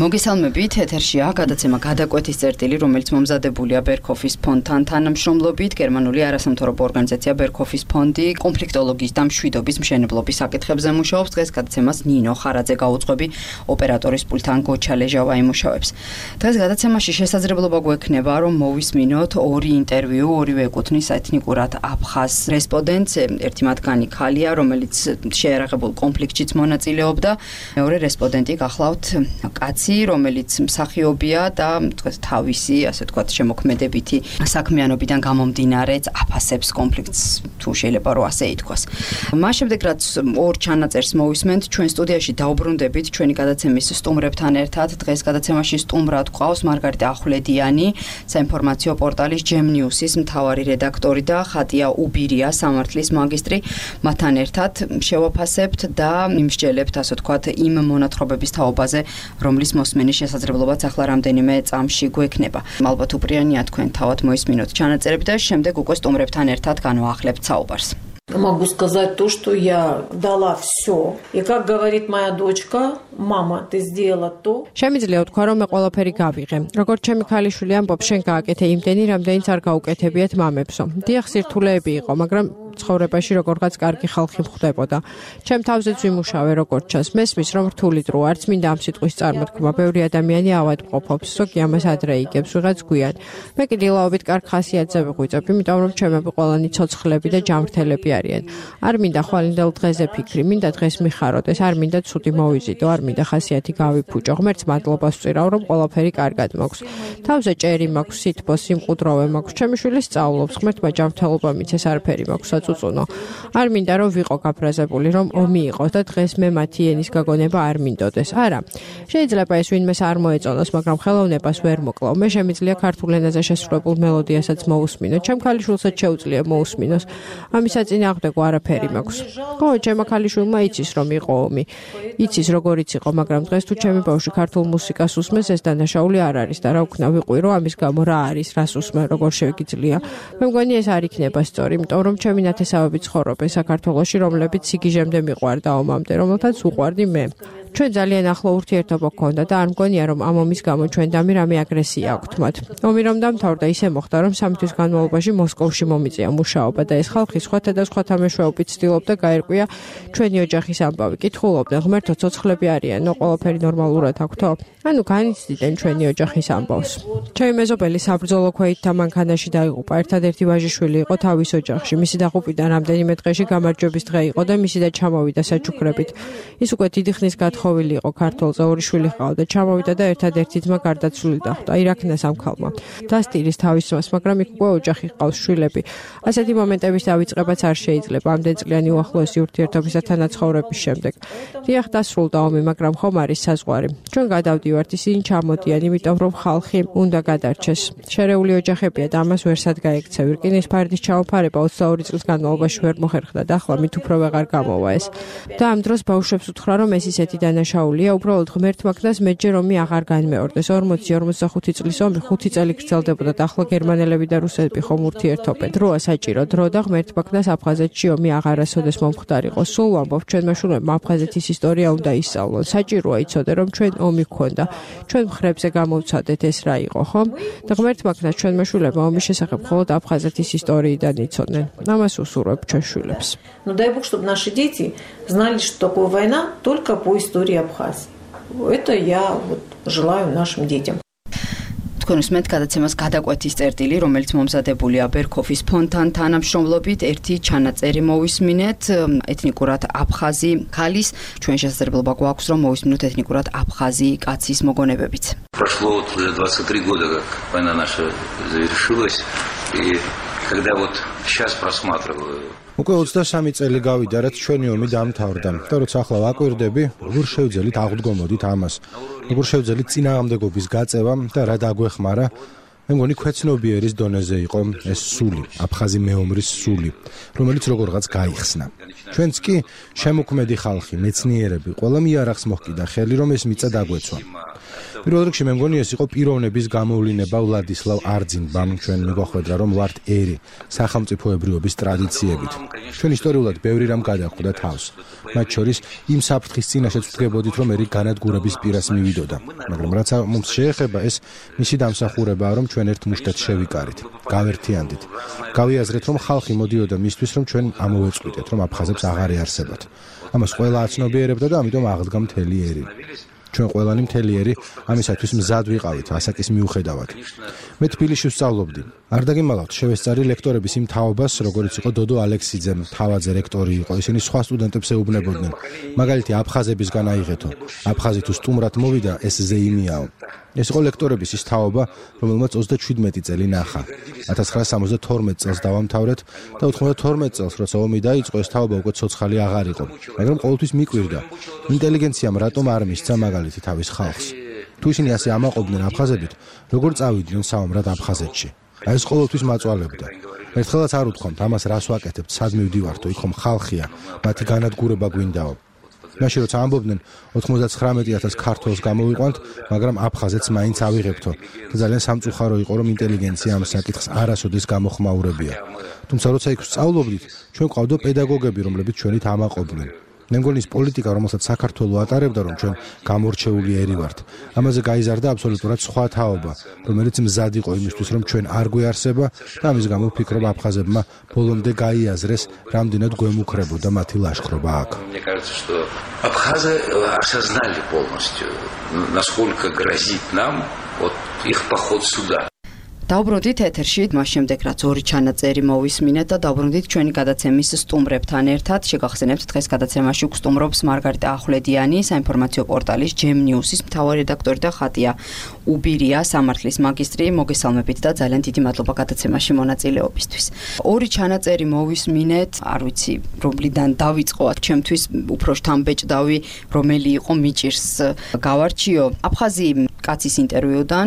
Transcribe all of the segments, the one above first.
მოგესალმებით, ეთერშია გადაცემა გადაკვეთის წერტილი, რომელიც მომზადებულია ბერქოფის ფონდთან თანამშრომლობით. გერმანული არასამთავრობო ორგანიზაცია ბერქოფის ფონდი კონფლიქტოლოგიის და მშვიდობის მშენებლობის საკითხებზე მუშაობს. დღეს გადაცემას ნინო ხარაძე გაუძღვები, ოპერატორის პულტთან გოჩა ლეჟავა იმუშავებს. დღეს გადაცემაში შესაძლებლობა გვექნება, რომ მოვისმინოთ ორი ინტერვიუ, ორივე ეკუთვნის ეთნიკურად აფხაზ რესპონდენტს. ერთი მათგანი ქალია, რომელიც შეერაღებულ კონფლიქტშიც მონაწილეობდა. მეორე რესპონდენტი გახლავთ კაცი, რომელიც მსახიობია და თავისი, ასე ვთქვათ, შემოქმედებითი საქმიანობიდან გამომდინარე აფასებს კონფლიქტს, თუ შეიძლება რომ ასე ითქვას. მას შემდეგ რაც ორ ჩანაწერს მოვისმენთ, ჩვენ სტუდიაში დაუბრუნდებით ჩვენი გადაცემის სტუმრებთან ერთად. დღეს გადაცემაში სტუმრად გვყავს მარგარიტა ახვლედიანი, საინფორმაციო პორტალის Gem News-ის მთავარი რედაქტორი და ხატია უბირია, სამართლის მაგისტრი. მათთან ერთად შევაფასებთ და მიმსჯელებთ, ასე ვთქვათ, იმ მონათხრობების თაობაზე, რომლის მოსმენის შესაძლებლობაც ახლა რამდენიმე წამში გვექნება. ალბათ უპრიანია თქვენ თავად მოისმინოთ ჩანაწერები და შემდეგ უკვე სტუმრებთან ერთად განვაახლებთ საუბარს. Могу сказать то, что я дала все. И как говорит моя дочка, мама, ты сделала то. Შემიძლია ვთქვა, რომ მე ყველაფერი გავიღე. როგორც ჩემი ქალიშვილი ამბობს, შენ გააკეთე იმდენი, რამდენიც არ გაუკეთებიათ მამებსო. დიახ, სირთულეები იყო, მაგრამ ცხოვრებაში როგორღაც კარგი ხალხი მხვდებოდა. ჩემ თავზეც ვიმუშავე როგორც ჩანს. მესმის რომ რთული დრო არც მინდა ამ სიტყვის წარმოთქმა. ბევრი ადამიანი ავადმყოფობს, ზოგი ამას ადრე იგებს, ვიღაც გვიან. მე კი დილაობით კარგ ხასიათზე ვიღვიწებ, იმიტომ რომ ჩემები ყველანი ცოცხლები და ჯამრთელები არიან. არ მინდა ხვალინდელ დღეზე ფიქრი, მინდა დღეს მიხაროდეს, არ მინდა ცუდი მოვიზიდო, არ მინდა ხასიათი გავიფუჭო. ღმერთს მადლობას ვწირავ, რომ ყველაფერი კარგად მაქვს. თავზე ჭერი მაქვს, სითბო, სიმყუდროვე მაქვს. ჩემი შვილი სწავლობს, ღმერთმა ჯანმრთელობა მიცეს, არაფერი მაქვს საწუწუნო. არ მინდა რომ ვიყო გაფრაზებული, რომ ომი იყოს და დღეს მე მათი ენის გაგონება არ მინდოდეს. არა. შეიძლება ეს ვინმეს არ მოეწონოს, მაგრამ ხელოვნებას ვერ მოკლავ. მე შემიძლია ქართულ ენაზე შესრულებულ მელოდიასაც მოусმინო. ჩემ ქალიშვილსაც შეუძლია მოусმინოს. ამის საწინააღმდეგო არაფერი მაქვს. ხო, ჩემო ქალიშვილმა იცის რომ იყო ომი. იცის როგორიც იყო, მაგრამ დღეს თუ ჩემი ბავშვი ქართულ მუსიკას უსმენს, ეს დანაშაული არ არის და რა ვქნა ვიყვირო ამის გამო რა არის, რას უსმენ, როგორ შეგიძლია. მე მგონი ეს არ იქნება სწორი, იმიტომ რომ ჩემი ნათესავები ცხოვრობენ საქართველოში, რომლებიც სიგიჟემდე მიყვარდა ომამდე, რომელთაც უყვარდი მე. ჩვენ ძალიან ახლო ურთიერთობა გქონდა და არ მგონია რომ ამ ომის გამო ჩვენ დამი რამე აგრესია აქვთ მათ. ომი რომ დამთავრდა, ისე მოხდა რომ 3 თვის განმავლობაში მოსკოვში მომიწია მუშაობა და ეს ხალხი სხვათა და სხვათა მეშვეობით ცდილობდა გაერკვია ჩვენი ოჯახის ამბავი. კითხულობდნენ, ღმერთო, ცოცხლები არიანო, ყველაფერი ნორმალურად აქვთო? ანუ განიცდიდნენ ჩვენი ოჯახის ამბავს. ჩემი მეზობელი საბრძოლო ქვეითთა მანქანაში დაიღუპა. ერთადერთი ვაჟიშვილი იყო თავის ოჯახში. მისი დაღუპვიდან რამდენიმე დღეში გამარჯვების დღე იყო და მისი და ჩამოვიდა საჩუქრებით. ის უკვე დიდი ხნის ხოვილი იყო ქართულზე, ორი შვილი ჰყავდა, ჩამოვიდა და ერთადერთი ძმა გარდაცვლილი დახვდა. ირაქნას ამ ქალმა. დასტირის თავის ძმას, მაგრამ იქ უკვე ოჯახი ჰყავს, შვილები. ასეთი მომენტების დავიწყებაც არ შეიძლება ამდენწლიანი უახლოესი ურთიერთობისა თანაცხოვრების შემდეგ. დიახ, დასრულდა ომი, მაგრამ ხომ არის საზღვარი. ჩვენ გადავდივართ, ისინი ჩამოდიან, იმიტომ რომ ხალხი უნდა გადარჩეს. შერეული ოჯახებია და ამას ვერსად გაექცევ. რკინის ფარდის ჩამოფარება 22 წლის განმავლობაში ვერ მოხერხდა და ახლა მით უფრო ვეღარ გამოვა ეს. და ამ დროს ბავშვებს უთხრა, რომ ეს ისეთი დანაშაულია, უბრალოდ ღმერთმა ქნას მეჯერ ომი აღარ განმეორდეს. 40-45 წლის ომი 5 წელი გრძელდებოდა და ახლა გერმანელები და რუსები ხომ ურთიერთობენ. დროა საჭირო დრო და ღმერთმა ქნას აფხაზეთში ომი აღარასოდეს მომხდარიყო. სულ ვამბობ, ჩვენმა შვილებმა აფხაზეთის ისტორია უნდა ისწავლონ. საჭიროა იცოდე, რომ ჩვენ ომი გქონდა. ჩვენ მხრებზე გამოვცადეთ ეს რა იყო, ხომ? და ღმერთმა ქნას ჩვენმა შვილებმა ომის შესახებ მხოლოდ აფხაზეთის ისტორიიდან იცოდნენ. ამას უსურვებ ჩვენ შვილებს. Ну дай бог, чтобы наши дети знали, что такое война только по истории Абхазии. Это я вот желаю нашим детям. თქვენ უსმენთ გადაცემას გადაკვეთის წერტილი, რომელიც მომზადებულია ბერქოფის ფონდთან თანამშრომლობით. ერთი ჩანაწერი მოვისმინეთ ეთნიკურად აფხაზი ქალის. ჩვენ შესაძლებლობა გვაქვს რომ მოვისმინოთ ეთნიკურად აფხაზი კაცის მოგონებებიც. Прошло вот уже 23 года, как война наша завершилась, и когда вот сейчас просматриваю უკვე 23 წელი გავიდა, რაც ჩვენი ომი დაამთავრდა. და როცა ახლა ვაკვირდები, როგორ შევძელით აღდგომოდით ამას, როგორ შევძელით წინააღმდეგობის გაწევა და რა დაგვეხმარა, მე მგონი ქვეცნობიერის დონეზე იყო ეს სული, აფხაზი მეომრის სული, რომელიც როგორღაც გაიხსნა. ჩვენც კი შემოქმედი ხალხი, მეცნიერები, ყველა მიარახს მოჰკიდა ხელი, რომ ეს მიწა დაგვეცვა. პირველ რიგში მე მგონი ეს იყო პიროვნების გამოვლინება ვლადისლავ არძინბამ ჩვენ მიგვახვედრა რომ ვართ ერი სახელმწიფოებრიობის ტრადიციებით. ჩვენ ისტორიულად ბევრი რამ გადახვდა თავს. მათ შორის იმ საფრთხის წინაშეც ვდგებოდით რომ ერი განადგურების პირას მივიდოდა. მაგრამ რაც mums შეეხება ეს მისი დამსახურებაა რომ ჩვენ ერთ მუშტად შევიკარით, გავერთიანდით. გავიაზრეთ რომ ხალხი მოდიოდა მისთვის რომ ჩვენ ამოვეწყვიტეთ რომ აფხაზებს აღარ ეარსებათ. ამას ყველა აცნობიერებდა და ამიტომ აღდგა მთელი ერი. ჩვენ ყველანი მთელი ერი ამისათვის მზად ვიყავით ასაკის მიუხედავად. მე თბილისში ვსწავლობდი. არ დაგიმალავთ, შევესწარი ლექტორების იმ თაობას, როგორც იყო დოდო ალექსიძე, თავაძე რექტორი იყო, ისინი სხვა სტუდენტებს ეუბნებოდნენ. მაგალითი აფხაზებისგან აიღეთო. აფხაზი თუ სტუმრად მოვიდა, ეს ზეიმიაო. ეს იყო ლექტორების ის თაობა, რომელმაც 37 წელი ნახა. 1972 წელს დავამთავრეთ და 92 წელს, როცა ომი დაიწყო, ეს თაობა უკვე ცოცხალი აღარ იყო. მაგრამ ყოველთვის მიკვირდა, ინტელიგენციამ რატომ არ მისცა მაგალითი თავის ხალხს. თუ ისინი ასე ამაყობდნენ აფხაზებით, როგორ წავიდნენ საომრად აფხაზეთში? აი ეს ყოველთვის მაწვალებდა. ერთხელაც არ უთქვამთ, ამას რას ვაკეთებთ, სად მივდივართო, იქ ხომ ხალხია, მათი განადგურება გვინდაო. მაშინ როცა ამბობდნენ 99,000 ქართველს გამოვიყვანთ, მაგრამ აფხაზეთს მაინც ავიღებთო. და ძალიან სამწუხარო იყო, რომ ინტელიგენცია ამ საკითხს არასოდეს გამოხმაურებია. თუმცა როცა იქ ვსწავლობდით, ჩვენ ყავდა პედაგოგები, რომლებიც ჩვენით ამაყობდნენ. მე მგონი ის პოლიტიკა, რომელსაც საქართველო ატარებდა, რომ ჩვენ გამორჩეული ერი ვართ. ამაზე გაიზარდა აბსოლუტურად სხვა თაობა, რომელიც მზად იყო იმისთვის, რომ ჩვენ არ გვეარსება და ამის გამო ვფიქრობ აფხაზებმა ბოლომდე გაიაზრეს, რამდენად გვემუქრებოდა მათი ლაშქრობა აქ. Мне кажется, что абхазы осознали полностью, насколько грозит нам вот их поход сюда. დავბრუნდით ეთერში, მას შემდეგ რაც ორი ჩანაწერი მოვისმინეთ და დავბრუნდით ჩვენი გადაცემის სტუმრებთან ერთად. შეგახსენებთ, დღეს გადაცემაში გვსტუმრობს მარგარიტა ახვლედიანი, საინფორმაციო პორტალის Gem News-ის მთავარი რედაქტორი და ხატია უბირია, სამართლის მაგისტრი. მოგესალმებით და ძალიან დიდი მადლობა გადაცემაში მონაწილეობისთვის. ორი ჩანაწერი მოვისმინეთ, არ ვიცი, რომლიდან დავიწყოთ, ჩემთვის უფრო შთამბეჭდავი, რომელი იყო მიჭირს გავარჩიო. აფხაზი კაცის ინტერვიუდან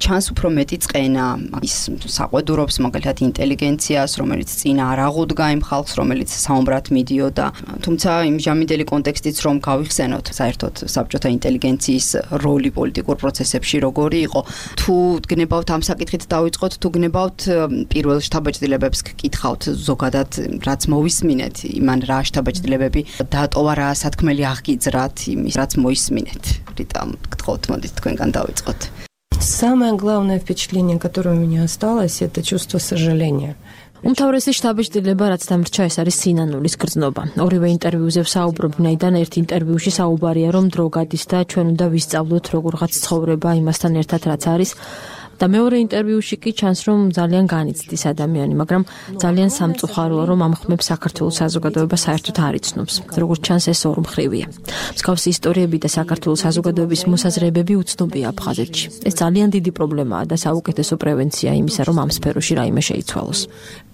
ჩანს უფრო მეტი წყენა. ის საყვედურობს მაგალითად ინტელიგენციას, რომელიც წინა არ აღუდგა იმ ხალხს, რომელიც საომრად მიდიოდა. თუმცა იმ ჟამიდელი კონტექსტიც რომ გავიხსენოთ, საერთოდ საბჭოთა ინტელიგენციის როლი პოლიტიკურ პროცესებში როგორი იყო, თუ გნებავთ ამ საკითხით დავიწყოთ, თუ გნებავთ პირველ შთაბეჭდილებებს გკითხავთ ზოგადად, რაც მოვისმინეთ, იმან რა შთაბეჭდილებები დატოვა, რა სათქმელი აღგიძრათ იმის, რაც მოისმინეთ. რიტა, გთხოვთ, მოდით თქვენგან დავიწყოთ. Самое главное впечатление, которое у меня осталось, это чувство сожаления. უმთავრესი შთაბეჭდილება, რაც დამრჩა, ეს არის სინანულის გრძნობა. ორივე ინტერვიუზე ვსაუბრობნაიდან ერთ ინტერვიუში საუბარია, რომ დრო გადის და ჩვენ უნდა ვისწავლოთ როგორღაც ცხოვრება იმასთან ერთად, რაც არის. და მეორე ინტერვიუში კი ჩანს, რომ ძალიან განიცდის ადამიანი, მაგრამ ძალიან სამწუხაროა, რომ ამ ხმებს საქართველოს საზოგადოება საერთოდ არ იცნობს. როგორც ჩანს, ეს ორმხრივია. მსგავსი ისტორიები და საქართველოს საზოგადოების მოსაზრებები უცნობია აფხაზეთში. ეს ძალიან დიდი პრობლემაა და საუკეთესო პრევენცია იმისა, რომ ამ სფეროში რაიმე შეიცვალოს.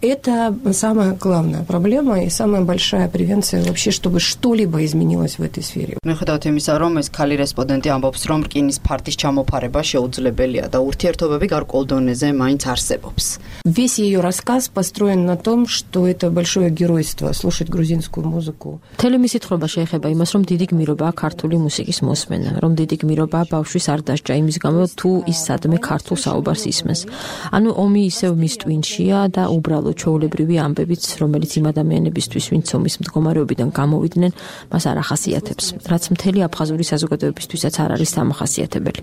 Это самая главная проблема и самая большая превенция вообще, чтобы что-либо изменилось в этой сфере. მიუხედავად იმისა, რომ ეს ქალი რესპონდენტი ამბობს, რომ რკინის ფარდის ჩამოფარება შეუძლებელია და ურთიერთობები გარკვეულ დონეზე მაინც არსებობს. Весь ее рассказ построен на том, что это большое геройство слушать грузинскую музыку. მთელი მისი თხრობა შეეხება იმას, რომ დიდი გმირობაა ქართული მუსიკის მოსმენა, რომ დიდი გმირობაა ბავშვის არ დასჯა იმის გამო, თუ ის სადმე ქართულ საუბარს ისმენს. ანუ ომი ისევ მის ტვინშია და უბრალოდ ჩვეულებრივი ამბებიც, რომელიც იმ ადამიანებისთვის, ვინც ომის მდგომარეობიდან გამოვიდნენ, მას არ ახასიათებს, რაც მთელი აფხაზური საზოგადოებისთვისაც არ არის დამახასიათებელი.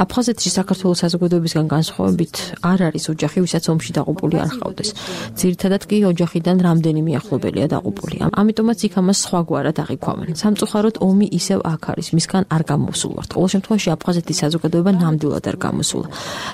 აფხაზეთში საქართველოს საზოგადოებისგან განსხვავებით არ არის ოჯახი, ვისაც ომში დაღუპული არ ჰყავდეს. ძირითადად კი ოჯახიდან რამდენიმე ახლობელია დაღუპული. ამიტომაც იქ ამას სხვაგვარად აღიქვამენ. სამწუხაროდ ომი ისევ აქ არის, მისგან არ გამოსულვართ. ყოველ შემთხვევაში აფხაზეთის საზოგადოება ნამდვილად არ გამოსულა.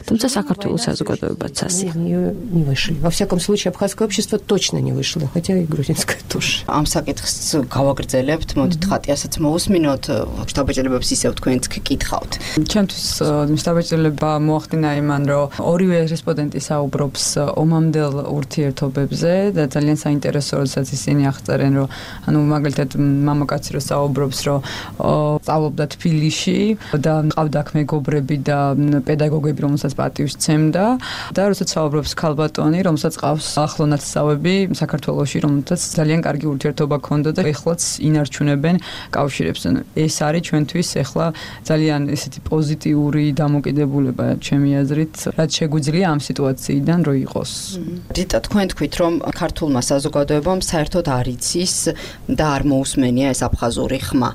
თუმცა საქართველოს საზოგადოებაც ასე. Не вышли. Во всяком случае, абхазское общество точно не вышло, хотя и грузинское тоже. ამ საკითხს გავაგრძელებთ, მოდით ხატიასაც მოусმინოთ, შთაბეჭდილებებს ისევ თქვენც გკითხავთ. ჩემთვის მისდაბეჭდილება მოახდინა იმან, რომ ორივე რესპონდენტი საუბრობს ომამდელ ურთიერთობებზე და ძალიან საინტერესო, როდესაც ისინი აღწერენ, რომ ანუ მაგალითად მამაკაცი რო საუბრობს, რომ სწავლობდა თბილისში და ყავდა აქ მეგობრები და პედაგოგები, რომელსაც პატივს სცემდა და როდესაც საუბრობს ქალბატონი, რომელსაც ყავს ახლო ნათესავები საქართველოში, რომელსაც ძალიან კარგი ურთიერთობა ჰქონდა და ეხლაც ინარჩუნებენ კავშირებს. ეს არის ჩვენთვის ეხლა ძალიან ესეთი პოზიტიური დამოკიდებულება, ჩემი აზრით, რაც შეგვიძლია ამ სიტუაციიდან რო იყოს. რიტა, თქვენ თქვით, რომ ქართულმა საზოგადოებამ საერთოდ არ იცის და არ მოусმენია ეს აფხაზური ხმა.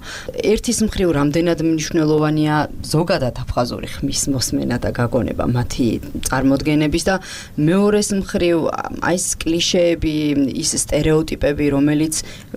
ერთის მხრივ რამდენად მნიშვნელოვანია ზოგადად აფხაზური ხმის მოსმენა და გაგონება მათი წარმოდგენების და მეორეს მხრივ აი ეს კლიშეები, ის სტერეოტიპები, რომელიც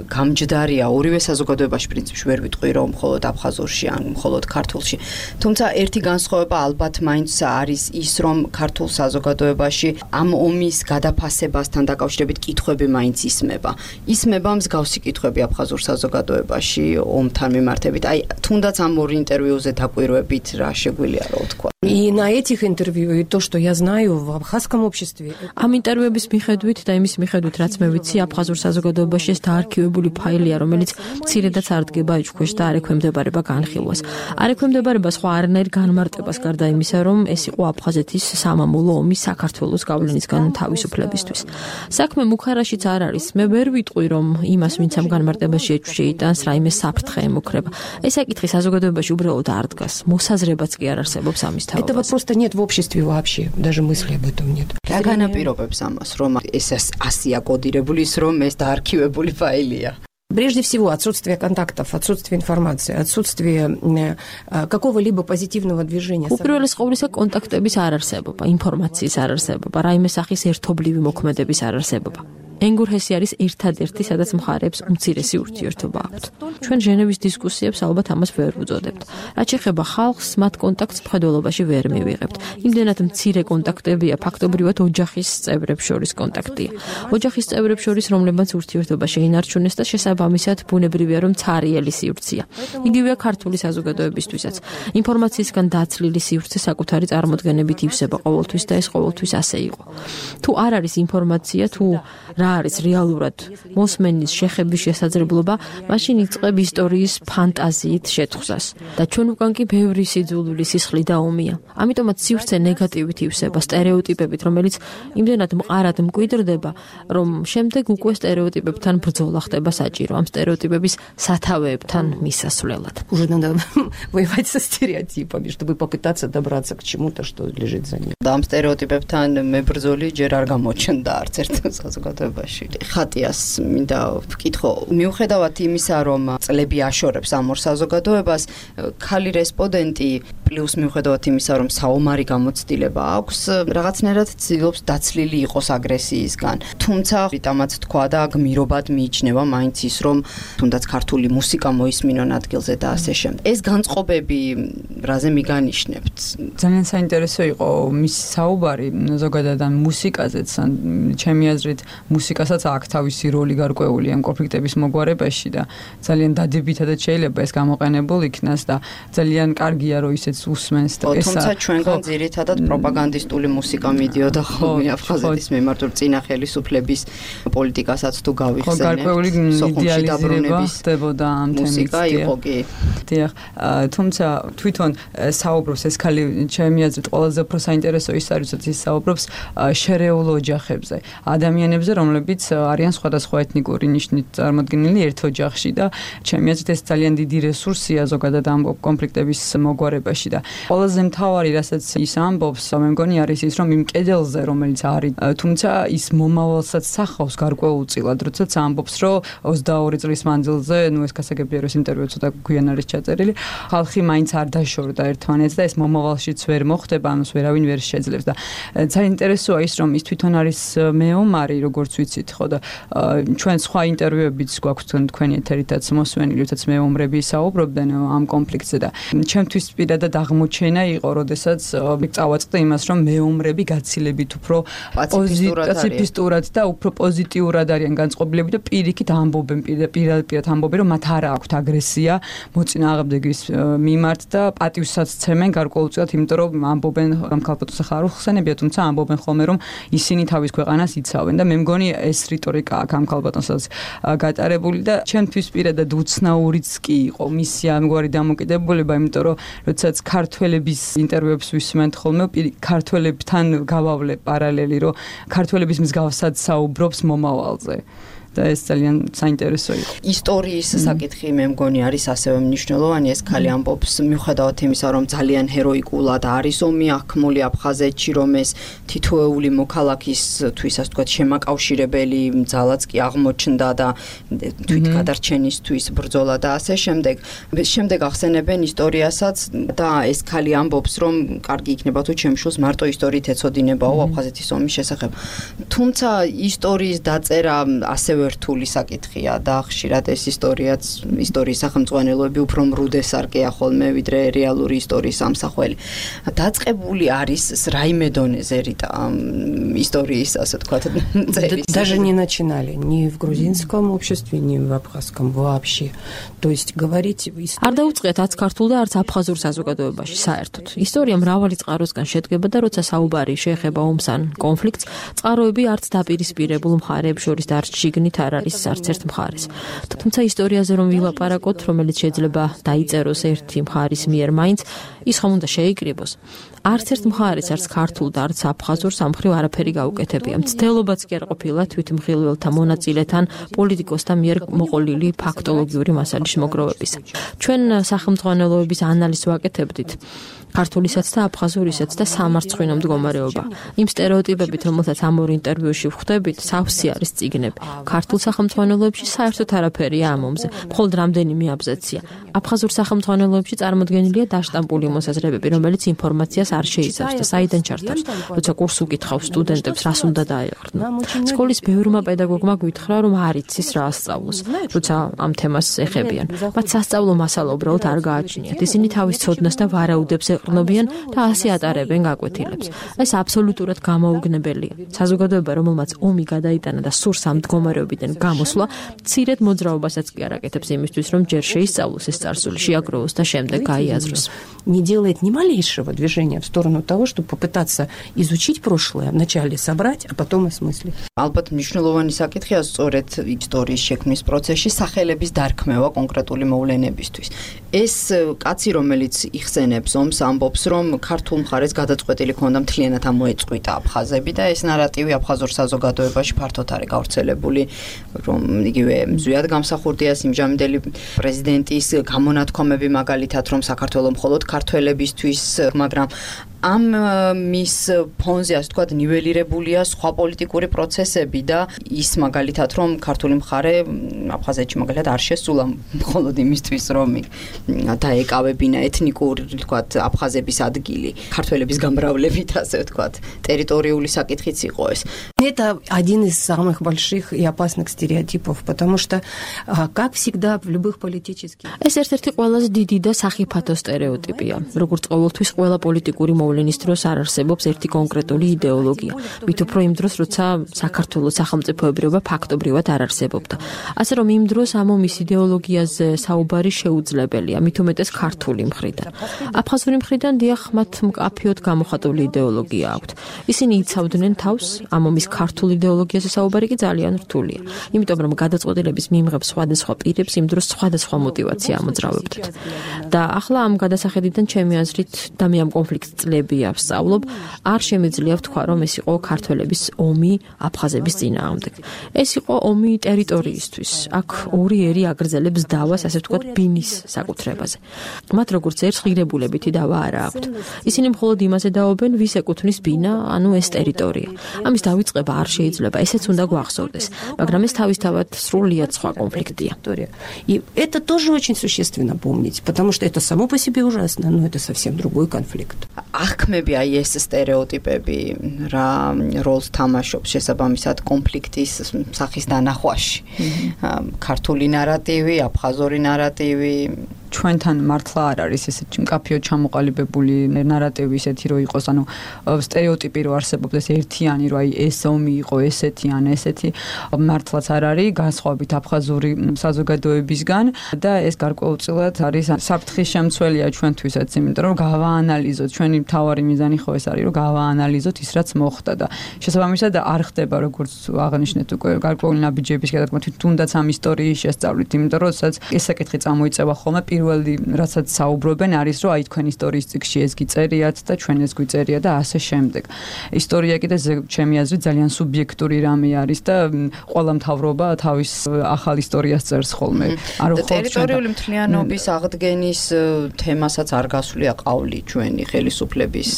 გამჯდარია ორივე საზოგადოებაში პრინციპში ვერ ვიტყვი რომ მხოლოდ აფხაზურში ან მხოლოდ ქართულში. თუმცა ერთი განსხვავება ალბათ მაინც არის ის, რომ ქართულ საზოგადოებაში ამ ომის გადაფასებასთან დაკავშირებით კითხვები მაინც ისმება. ისმება მსგავსი კითხვები აფხაზურ საზოგადოებაში ომთან მიმართებით. აი, თუნდაც ამ ორი ინტერვიუზე დაკვირვებით რა შეგვიძლია რა თქვა. И на этих интервью, и то, что я знаю в абхазском обществе. ამ ინტერვიუების მიხედვით და იმის მიხედვით, რაც მე ვიცი, აფხაზურ საზოგადოებაში ეს დაარქივებული ფაილია, რომელიც მცირედაც არ დგება იჩქვეშ და არ ექვემდებარება განხილვას. არ ექვემდებარება სხვა არანაირ განმარტებას გარდა იმისა, რომ ეს იყო აფხაზეთის სამამულო ომის საქართველოს გავლენისგან თავისუფლებისთვის. საქმე მუხარაშიც არ არის. მე ვერ ვიტყვი, რომ იმას, ვინც ამ განმარტებაში შეიტანს, რაიმე საფრთხე ემუქრება. ეს საკითხი საზოგადოებაში უბრალოდ არ დგას. მოსაზრებაც კი არ არსებობს ამის. Этого просто нет в обществе вообще, даже мысли об этом нет. რა განაპირობებს ამას, რომ ეს ასია კოდირებული, რომ ეს დაარქივებული ფაილია? Прежде всего, отсутствие контактов, отсутствие информации, отсутствие какого-либо позитивного движения. უპირველეს ყოვლისა კონტაქტების არ არსებობა, ინფორმაციის არ არსებობა, რაიმე სახის ერთობლივი მოქმედების არ არსებობა. ენგურჰესი არის ერთადერთი, სადაც მხარეებს უმცირესი ურთიერთობა აქვთ. ჩვენ ჟენევის დისკუსიებს ალბათ ამას ვერ ვუწოდებთ. რაც შეეხება ხალხს, მათ კონტაქტს მხედველობაში ვერ მივიღებთ. იმდენად მცირე კონტაქტებია, ფაქტობრივად ოჯახის წევრებს შორის კონტაქტია. ოჯახის წევრებს შორის, რომლებმაც ურთიერთობა შეინარჩუნეს და შესაბამისად ბუნებრივია, რომ ცარიელი სივრცეა. იგივეა ქართული საზოგადოებისთვისაც. ინფორმაციისგან დაცლილი სივრცე საკუთარი წარმოდგენებით ივსება ყოველთვის და ეს ყოველთვის ასე იყო. თუ არ არის ინფორმაცია, თუ რა არის რეალურად მოსმენის შეხების შესაძლებლობა, მაშინ იწყებ ისტორიის ფანტაზიით შეთხზას. და ჩვენ უკან კი ბევრი სიძულვილი სისხლი და ომია. ამიტომაც სივრცე ნეგატივით ივსება სტერეოტიპებით, რომელიც იმდენად მყარად მკვიდრდება, რომ შემდეგ უკვე სტერეოტიპებთან ბრძოლა ხდება საჭირო, ამ სტერეოტიპების სათავეებთან მისასვლელად. Уже надо воевать со стереотипами, чтобы попытаться добраться к чему-то, что лежит за ним. და ამ სტერეოტიპებთან მებრძოლი ჯერ არ გამოჩნდა არც ერთ საზოგადოებაში. ხატიას მინდა ვკითხო, მიუხედავად იმისა, რომ წლები აშორებს ამ ორ საზოგადოებას, ქალი რესპონდენტი პლუს მიუხედავად იმისა, რომ საომარი გამოცდილება აქვს, რაღაცნაირად ცდილობს დაცლილი იყოს აგრესიისგან. თუმცა რიტამაც თქვა და გმირობად მიიჩნევა მაინც ის, რომ თუნდაც ქართული მუსიკა მოისმინონ ადგილზე და ასე შემდეგ. ეს განწყობები რაზე მიგანიშნებთ? ძალიან საინტერესო იყო მის საუბარი ზოგადად ამ მუსიკაზეც, ჩემი აზრით მუსიკასაც აქვს თავისი როლი გარკვეული ამ კონფლიქტების მოგვარებაში და ძალიან დადებითად შეიძლება ეს გამოყენებულ იქნას და ძალიან კარგია რომ ისეც უსმენს და ესა. თუმცა ჩვენგან ძირითადად პროპაგანდისტული მუსიკა მიდიოდა ხოლმე აფხაზეთის მიმართ წინა ხელისუფლების პოლიტიკასაც თუ გავიხსენებთ. გარკვეული იდეალიზება ხდებოდა ამ თემით. მუსიკა იყო კი. დიახ, თუმცა თვითონ საუბრობს ეს ქალი, ჩემი აზრით ყველაზე უფრო საინტერესო ის არის, რომ ის საუბრობს შერეულ ოჯახებზე, ადამიანებზე, რომლებიც არიან სხვადასხვა ეთნიკური ნიშნით წარმოდგენილი ერთ ოჯახში და ჩემი აზრით ეს ძალიან დიდი რესურსია ზოგადად ამ კონფლიქტების მოგვარებაში და ყველაზე მთავარი, რასაც ის ამბობს, მე მგონი არის ის, რომ იმ კედელზე, რომელიც არის, თუმცა ის მომავალსაც სახავს გარკვეულწილად, როდესაც ამბობს, რომ 22 წლის მანძილზე, ეს გასაგებია, რომ ეს ინტერვიუ ცოტა გვიან არის ჩაწერილი, ხალხი მაინც არ დაშორდა ერთმანეთს და ეს მომავალშიც ვერ მოხდება, ამას ვერავინ ვერ შეძლებს და ძალიან ინტერესოა ის, რომ ის თვითონ არის მეომარი, როგორც ვიცით, ხო და ჩვენ სხვა ინტერვიუებიც გვაქვს თქვენი ეთერითაც მოსვენილი, როდესაც მეომრები საუბრობდნენ ამ კონფლიქტზე და ჩემთვის პირადად ერთადერთად აღმოჩენა იყო, როდესაც წავაწყდა იმას, რომ მეომრები გაცილებით უფრო პოზიტიურად და უფრო პოზიტიურად არიან განწყობილები და პირიქით ამბობენ, პირადად ამბობენ, რომ მათ არ აქვთ აგრესია მოწინააღმდეგის მიმართ და პატივსაც ცემენ გარკვეულწილად, იმიტომ რომ ამბობენ გამქალბატონს ახლა არ უხსენებია, თუმცა ამბობენ ხოლმე, რომ ისინი თავის ქვეყანას იცავენ და მე მგონი ეს რიტორიკა აქ გამქალბატონსაც გატარებული და ჩემთვის პირადად უცნაურიც კი იყო მისი ამგვარი დამოკიდებულება, იმიტომ რომ როდესაც ქართველების ინტერვიუებს ვისმენთ ხოლმე, ქართველებთან გავავლე პარალელი, რომ ქართველების მსგავსად საუბრობს მომავალზე. და ეს ძალიან საინტერესო იყო. ისტორიის საკითხი მე მგონი არის ასევე მნიშვნელოვანი, ეს ქალი ამბობს მიუხედავად იმისა, რომ ძალიან ჰეროიკულად არის ომი აღქმული აფხაზეთში, რომ ეს თითოეული მოქალაქის თვისას ვთქვათ შემაკავშირებელი ძალაც კი აღმოჩნდა და თვითგადარჩენისთვის ბრძოლა და ასე შემდეგ. შემდეგ ახსენებენ ისტორიასაც და ეს ქალი ამბობს, რომ კარგი იქნება თუ ჩემს შვილს მარტო ისტორიით ეცოდინებაო აფხაზეთის ომის შესახებ. თუმცა ისტორიის დაწერა ასევე რთული საკითხია და ხშირად ეს ისტორიის სახელმძღვანელოები უფრო მრუდესარკეა ხოლმე ვიდრე რეალური ისტორიის ამსახველი. დაწყებული არის რაიმე დონეზე რიტა ისტორიის ასე თქვა წერის. Даже не начинали ни в грузинском обществе, ни в абхазском вообще. То есть говорить არ დაუწყიათ არც ქართულ და არც აფხაზურ საზოგადოებაში საერთოდ. ისტორია მრავალი წყაროსგან შედგება და როცა საუბარი შეეხება ომს ან კონფლიქტს, წყაროები არც დაპირისპირებულ მხარეებს შორის და არც შიგნით არ არის არც ერთ მხარეს. თუმცა ისტორიაზე რომ ვილაპარაკოთ, რომელიც შეიძლება დაიწეროს ერთი მხარის მიერ მაინც, ის ხომ უნდა შეიკრიბოს. არც ერთ მხარეს არც ქართულ და არც აფხაზურ სამხრივ არაფერი გაუკეთებია. მცდელობაც კი არ ყოფილა თვითმხილველთა მონაწილეთან პოლიტიკოსთა მიერ მოყოლილი ფაქტოლოგიური მასალის მოგროვებისა. ჩვენ სახელმძღვანელოების ანალიზს ვაკეთებდით. ქართულისაც და აფხაზურისაც და სამარცხვინო მდგომარეობა. იმ სტერეოტიპებით, რომელთაც ამ ორ ინტერვიუში ვხვდებით, სავსე არის წიგნები. ქართულ სახელმძღვანელოებში საერთოდ არაფერია ამ ომზე, მხოლოდ რამდენიმე აბზაცია. აფხაზურ სახელმძღვანელოებში წარმოდგენილია დაშტამპული მოსაზრებები, რომელიც ინფორმაციას არ შეიცავს და საიდან ჩართავს. როცა კურს უკითხავს სტუდენტებს, რას უნდა დაეღრნო. სკოლის ბევრმა პედაგოგმა გვითხრა, რომ არ იცის რა ასწავლოს, როცა ამ თემას ეხებიან. მათ სასწავლო მასალა უბრალოდ არ გააჩნიათ. ისინი თავის ცოდნას და ვარაუდებს ეყრდნობიან და ასე ატარებენ გაკვეთილებს. ეს აბსოლუტურად გამოუგნებელია. საზოგადოება, რომელმაც ომი გადაიტანა და სურს ამ მდგომარეობიდან გამოსვლა, მცირედ მოძრაობასაც კი არ აკეთებს იმისთვის, რომ ჯერ შეისწავლოს ეს წარსული, შეაგროვოს და შემდეგ გაიაზროს. Не делает ни малейшего движения в сторону того, чтобы попытаться изучить прошлое, вначале собрать, а потом осмыслить. ალბათ მნიშვნელოვანი საკითხია სწორედ ისტორიის შექმნის პროცესში სახელების დარქმევა კონკრეტული მოვლენებისთვის. ეს კაცი, რომელიც იხსენებს ომს, ამბობს, რომ ქართულ მხარეს გადაწყვეტილი ქონდა მთლიანად ამოეწყვიტა აფხაზები და ეს ნარატივი აფხაზურ საზოგადოებაში ფართოდ არის გავრცელებული, რომ იგივე ზვიად გამსახურდია სიმჟამინდელი პრეზიდენტის გამონათქვამები მაგალითად, რომ საქართველოს მხოლოდ ქართველებისთვის, მაგრამ ამ მის ფონზე ასე ვთქვათ ნიველირებულია სხვა პოლიტიკური პროცესები და ის მაგალითად რომ ქართული მხარე აფხაზეთში მაგალითად არ შესულა მხოლოდ იმისთვის რომ დაეკავებინა ეთნიკური ვთქვათ აფხაზების ადგილი ქართველების გამრავლებით ასე ვთქვათ ტერიტორიული საკითხიც იყო ეს. Это один из самых больших и опасных стереотипов, потому что, как всегда в любых политических... ეს ერთ-ერთი ყველაზე დიდი და სახიფათო სტერეოტიპია. როგორც ყოველთვის ყველა პოლიტიკური მოვლენის დროს არ არსებობს ერთი კონკრეტული იდეოლოგია. მით უფრო იმ დროს, როცა საქართველოს სახელმწიფოებრიობა ფაქტობრივად არ არსებობდა. ასე რომ იმ დროს ამ ომის იდეოლოგიაზე საუბარი შეუძლებელია, მით უმეტეს ქართული მხრიდან. აფხაზური მხრიდან დიახ, მათ მკაფიოდ გამოხატული იდეოლოგია აქვთ. ისინი იცავდნენ თავს, ამ ომის ქართულ იდეოლოგიაზე საუბარი კი ძალიან რთულია. იმიტომ რომ გადაწყვეტილების მიმღებ სხვადასხვა პირებს იმ დროს სხვადასხვა мотиваცია ამოძრავებდათ. და ახლა ამ გადასახედიდან ჩემი აზრით და მე ამ კონფლიქტს წლები ავსწავლობ, არ შემეძლია ვთქვა, რომ ეს იყო ქართველების ომი აფხაზების წინააღმდეგ. ეს იყო ომი ტერიტორიისთვის. აქ ორი ერი აგრძელებს დავას, ასე ვთქვათ, ბინის საკუთრებაზე. მათ როგორც ერთ ღირებულებითი დავა არა აქვთ. ისინი მხოლოდ იმაზე დაობენ, ვის ეკუთვნის ბინა, ანუ ეს ტერიტორია. ამის დავიწყება არ შეიძლება, ესეც უნდა გვახსოვდეს, მაგრამ ეს თავისთავად სრულიად სხვა კონფლიქტია. И это тоже очень существенно помнить, потому что это само по себе ужасно, но это совсем другой конфликт. აღქმები აი ეს სტერეოტიპები რა როლს თამაშობს შესაბამისად კონფლიქტის სახის დანახვაში. ქართული ნარატივი, აფხაზური ნარატივი ჩვენთან მართლა არ არის ესეთი მკაფიოდ ჩამოყალიბებული ნარატივი ისეთი რომ იყოს, ანუ სტერეოტიპი რომ არსებობდეს ერთიანი, რომ აი ეს ომი იყო ესეთი ან ესეთი, მართლაც არ არის, განსხვავებით აფხაზური საზოგადოებისგან და ეს გარკვეულწილად არის საფრთხის შემცველია ჩვენთვისაც, იმიტომ რომ გავაანალიზოთ, ჩვენი მთავარი მიზანი ხო ეს არის, რომ გავაანალიზოთ ის რაც მოხდა და შესაბამისად არ ხდება როგორც აღნიშნეთ უკვე გარკვეული ნაბიჯების გადადგმა თუნდაც ამ ისტორიის შესწავლით, იმიტომ რომ სადაც ეს საკითხი წამოიწევა ხოლმე პირველი რასაც საუბრობენ არის რომ აი თქვენ ისტორიის წიგნში ეს გიწერიათ და ჩვენ ეს გვიწერია და ასე შემდეგ. ისტორია კიდე ჩემი აზრით ძალიან სუბიექტური რამე არის და ყველა მთავრობა თავის ახალ ისტორიას წერს ხოლმე. ტერიტორიული მთლიანობის აღდგენის თემასაც არ გასულია ყავლი ჩვენი ხელისუფლების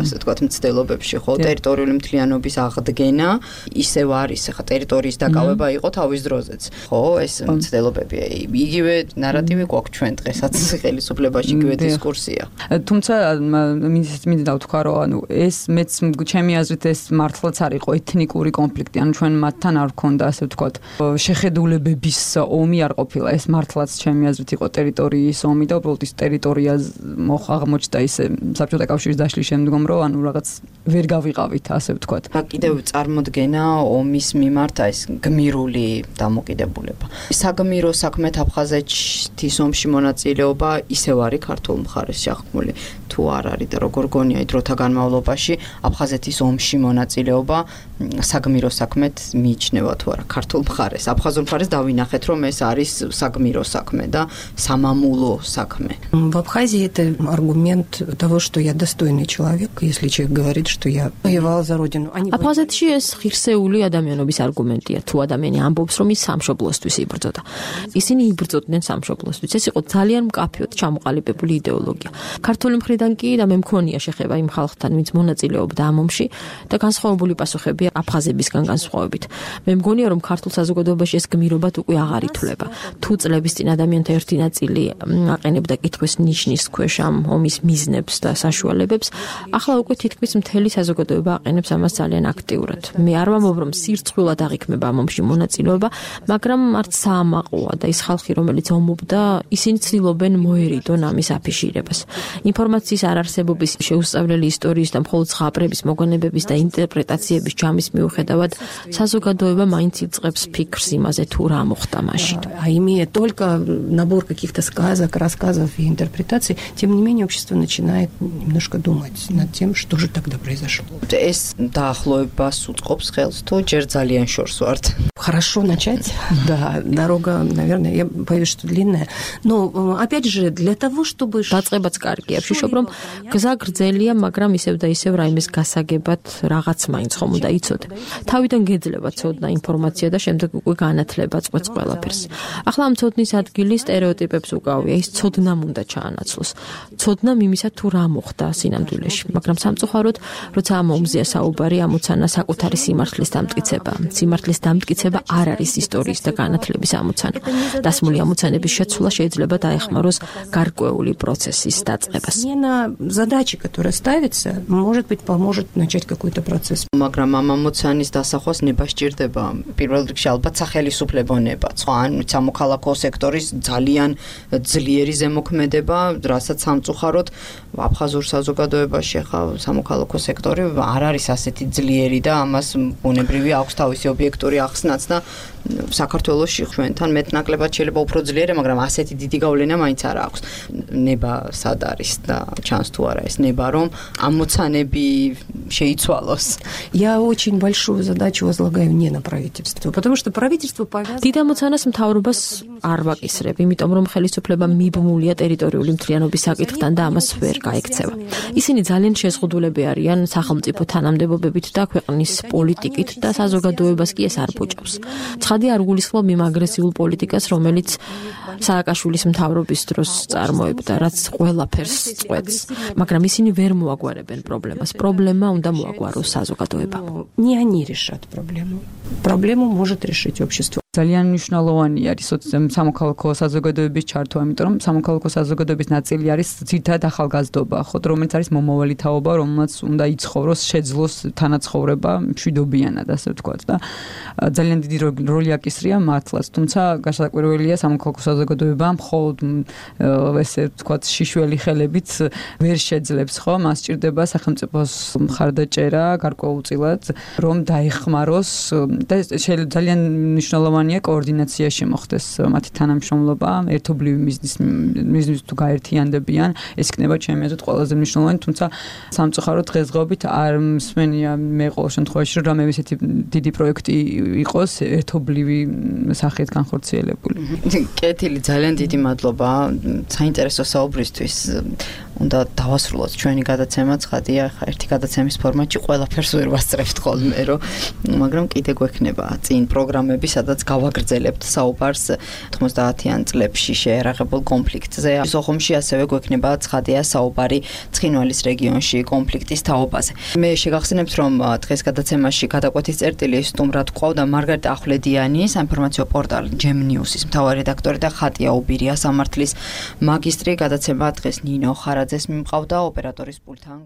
ასე ვთქვათ მცდელობებში, ხო? ტერიტორიული მთლიანობის აღდგენა ისევ არის, ხა ტერიტორიის დაკავება იყო თავის დროზეც. ხო, ეს მცდელობები, იგივე ნარატივი გვაქვს ჩვენ დღესაც ხელისუფლებაში, იგივე დისკურსია. თუმცა მინდა ვთქვა, რომ ანუ ეს მეც ჩემი აზრით ეს მართლაც არ იყო ეთნიკური კონფლიქტი, ანუ ჩვენ მათთან არ ვქონდა ასე ვთქვათ შეხედულებების ომი არ ყოფილა, ეს მართლაც ჩემი აზრით იყო ტერიტორიის ომი და უბრალოდ ის ტერიტორია აღმოჩნდა ისე საბჭოთა კავშირის დაშლის შემდგომ, რომ ანუ რაღაც ვერ გავიყავით ასე ვთქვათ. და კიდევ წარმოდგენა ომის მიმართ ეს გმირული დამოკიდებულება. საგმირო საქმეთ აფხაზეთის ომში მონაწილეობა ისევ არის ქართულ მხარეს შეხმული თუ არ არის და როგორ გონია დროთა განმავლობაში აფხაზეთის ომში მონაწილეობა საგმირო საქმეთ მიიჩნევა თუ არა ქართულ მხარეს. აფხაზურ მხარეს დავინახეთ რომ ეს არის საგმირო საქმე და სამამულო საქმე. В Абхазии это аргумент того, что я достойный человек, если человек говорит, что я воевал за родину. აფხაზეთში ეს ღირსეული ადამიანობის არგუმენტია, თუ ადამიანი ამბობს, რომ ის სამშობლოსთვის იბრძოდა. ისინი იბრძოდნენ სამშობლოსთვის. ეს იყო ძალიან მკაფიოდ ჩამოყალიბებული იდეოლოგია. ქართული მხრიდან კი და მე მქონია შეხება იმ ხალხთან, ვინც მონაწილეობდა ამ ომში და განსხვავებული პასუხები აფხაზებისგან განსხვავებით. მე მგონია, რომ ქართულ საზოგადოებაში ეს გმირობად უკვე აღარ ითვლება. თუ წლების წინ ადამიანთა ერთი ნაწილი აყენებდა კითხვის ნიშნის ქვეშ ამ ომის მიზნებს და საშუალებებს, ახლა უკვე თითქმის მთელი საზოგადოება აყენებს ამას ძალიან აქტიურად. მე არ ვამბობ, რომ სირცხვილად აღიქმება ამ ომში მონაწილეობა, მაგრამ არც საამაყოა და ის ხალხი, რომელიც ომობდა, ისინი ცდილობენ მოერიდონ ამის აფიშირებას. ინფორმაციის არარსებობის, შეუსწავლელი ისტორიის და მხოლოდ ზღაპრების, მოგონებების და ინტერპრეტაციების ჯამის მიუხედავად, საზოგადოება მაინც იწყებს ფიქრს იმაზე, თუ რა მოხდა მაშინ. А имея только набор каких-то сказок, рассказов и интерпретаций, тем не менее общество начинает немножко думать над тем, что же тогда произошло. ეს დაახლოებას უწყობს ხელს თუ ჯერ ძალიან შორს ვართ. Хорошо начать. Да, дорога, наверное, я боюсь, что длинная. Но опять же, для того, чтобы დაწყებაც კარგია. ვშიშობ, რომ გზა გრძელია, მაგრამ ისევ და ისევ რაიმეს გასაგებად რაღაც მაინც ხომ უნდა იცოდე. თავიდან გეძლება ცოდნა ინფორმაცია და შემდეგ უკვე განათლება წყვეტს ყველაფერს. ახლა ამ ცოდნის ადგილი სტერეოტიპებს უკავია, ის ცოდნამ უნდა ჩაანაცვლოს. ცოდნამ იმისა თუ რა მოხდა სინამდვილეში, მაგრამ სამწუხაროდ, როცა ამ ომზეა საუბარი, ამოცანა საკუთარი სიმართლის დამტკიცება. სიმართლის დამტკიცება არ არის ისტორიის და განათლების ამოცანა. დასმული ამოცანების შეცვლა შეიძლება დაეხმაროს გარკვეული პროცესის დაწყებას. Смена задачи, которая ставится, может быть, поможет начать какой-то процесс. მაგრამ ამ ამოცანის დასახვას ნება სჭირდება. პირველ რიგში ალბათ სახელისუფლებო ნება, სხვა ან სამოქალაქო სექტორის ძალიან ძლიერი ზემოქმედება, რასაც სამწუხაროდ აფხაზურ საზოგადოებაში ხა სამოქალაქო სექტორი არ არის ასეთი ძლიერი და ამას ბუნებრივი აქვს თავისი ობიექტური ახსნაც და საქართველოში ჩვენთან მეტნაკლებად შეიძლება უფრო ძლიერია, მაგრამ ასეთი დიდი გავლენა მაინც არ აქვს. ნება სად არის და ჩანს თუ არა ეს ნება, რომ ამოცანები შეიცვალოს. Я очень большую задачу возлагаю не на правительство, потому что правительство повязано. დიდ ამოცანას მთავრობას არ ვაკისრებ, იმიტომ რომ ხელისუფლება მიბმულია ტერიტორიული მთლიანობის საკითხთან და ამას ვერ გაექცევა. ისინი ძალიან შეზღუდულები არიან სახელმწიფო თანამდებობებით და ქვეყნის პოლიტიკით და საზოგადოებას კი ეს არ ბოჭავს. ცხადი არ გულისხმობ იმ აგრესიულ პოლიტიკას, რომელიც სააკაშვილის მთავრობის დროს წარმოებდა, რაც ყველაფერს წყვეტს, მაგრამ ისინი ვერ მოაგვარებენ პრობლემას. პრობლემა უნდა მოაგვაროს საზოგადოება. Не они решат проблему. Проблему может решить общество. ძალიან მნიშვნელოვანი არის სამოქალაქო საზოგადოების ჩართვა, იმიტომ რომ სამოქალაქო საზოგადოების ნაწილი არის ძირითადად ახალგაზრდობა, ხო, რომელიც არის მომავალი თაობა, რომელსაც უნდა იცხოვროს, შეძლოს თანაცხოვრება მშვიდობიანად, ასე ვთქვათ და ძალიან დიდი როლი აკისრია მართლაც, თუმცა გასაკვირველია სამოქალაქო საზოგადოება მხოლოდ ესე ვთქვათ შიშველი ხელებით ვერ შეძლებს, ხო, მას სჭირდება სახელმწიფოს მხარდაჭერა გარკვეულწილად, რომ დაეხმაროს და ძალიან მნიშვნელოვანია კოორდინაციაში მოხდეს მათი თანამშრომლობა, ერთობლივი მიზნის თუ გაერთიანდებიან, ეს იქნება ჩემი აზრით ყველაზე მნიშვნელოვანი, თუმცა სამწუხაროდ დღესდღეობით არ მსმენია მე ყოველ შემთხვევაში, რომ რამე ისეთი დიდი პროექტი იყოს ერთობლივი სახით განხორციელებული. კეთილი, ძალიან დიდი მადლობა საინტერესო საუბრისთვის. უნდა დავასრულოთ ჩვენი გადაცემა, ცხადია, ხა ერთი გადაცემის ფორმატში ყველაფერს ვერ ვასწრებთ ხოლმე, მაგრამ კიდე გვექნება წინ პროგრამები, სადაც გავაგრძელებთ საუბარს 90-იან წლებში შეერაღებულ კონფლიქტზე. სოხუმში ასევე გვექნება ცხადია საუბარი ცხინვალის რეგიონში კონფლიქტის თაობაზე. მე შეგახსენებთ, რომ დღეს გადაცემაში გადაკვეთის წერტილი სტუმრად გვყავდა მარგარიტა ახვლედიანი, საინფორმაციო პორტალ Gem News-ის მთავარი რედაქტორი და ხატია უბირია სამართლის მაგისტრი. გადაცემა დღეს ნინო ხარაძეს მიმყავდა ოპერატორის პულტთან.